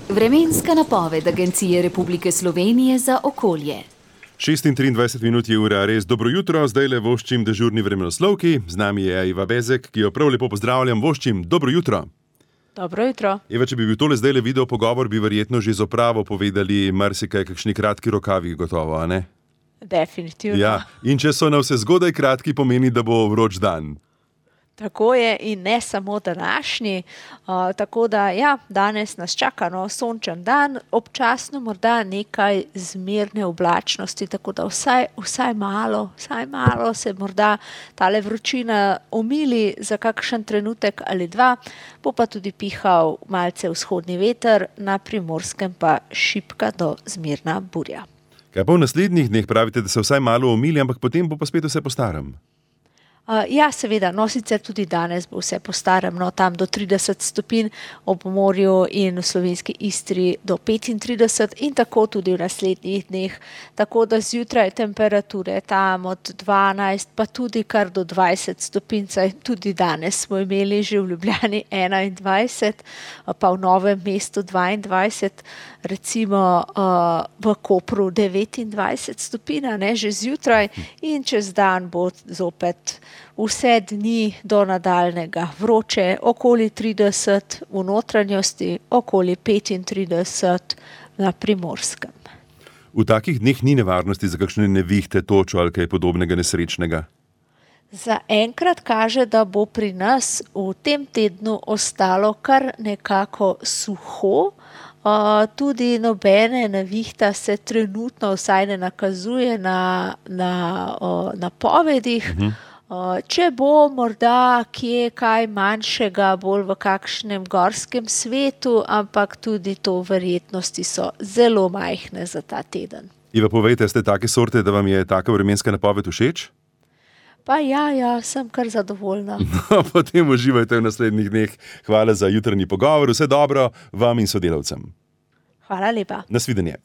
Vremenska napoved Agencije Republike Slovenije za okolje. 6:23 minut je ura, res dobro jutro, zdajle voščim dežurni vremenoslovki. Z nami je Eva Bezek, ki jo prav lepo pozdravljam. Voščim, dobro jutro. Dobro jutro. Eva, če bi bil tole zdajle video pogovor, bi verjetno že z opravo povedali marsikaj, kakšni kratki rokavi gotovo, a ne? Definitivno. Ja, in če so na vse zgodaj kratki, pomeni, da bo vroč dan. Tako je in ne samo današnji, tako da ja, danes nas čaka sončen dan, občasno morda nekaj zmerne oblačnosti, tako da vsaj malo se morda tale vročina omili za kakšen trenutek ali dva, bo pa tudi pihal malce vzhodni veter, na Primorskem pa šibka do zmerna burja. Kaj pa v naslednjih dneh pravite, da se vsaj malo omili, ampak potem bo pa spet vse po starem? Ja, seveda, sicer tudi danes bo vse po starem, tam do 30 stopinj ob morju in v slovenski Istri do 35 in tako tudi v naslednjih dneh. Tako da zjutraj temperature tam od 12 pa tudi kar do 20 stopinj, tudi danes smo imeli že v Ljubljani 21, pa v Novem mestu 22, recimo v Kopru 29 stopinj, že zjutraj in čez dan bo zopet vse dni do nadaljnega vroče, okoli 30 v notranjosti, okoli 35 na Primorskem. V takih dneh ni nevarnosti za kakšne nevihte, točo ali kaj podobnega nesrečnega? Za enkrat kaže, da bo pri nas v tem tednu ostalo kar nekako suho. Tudi nobene nevihta se trenutno vsaj ne nakazuje na napovedih. Če bo morda kje kaj manjšega, bolj v kakšnem gorskem svetu, ampak tudi to verjetnosti so zelo majhne za ta teden. Iva, povejte, ste take sorte, da vam je taka vremenska napoved všeč? Pa ja, sem kar zadovoljna. Potem uživajte v naslednjih dneh. Hvala za jutranji pogovor, vse dobro vam in sodelavcem. Hvala lepa. Nasvidenje.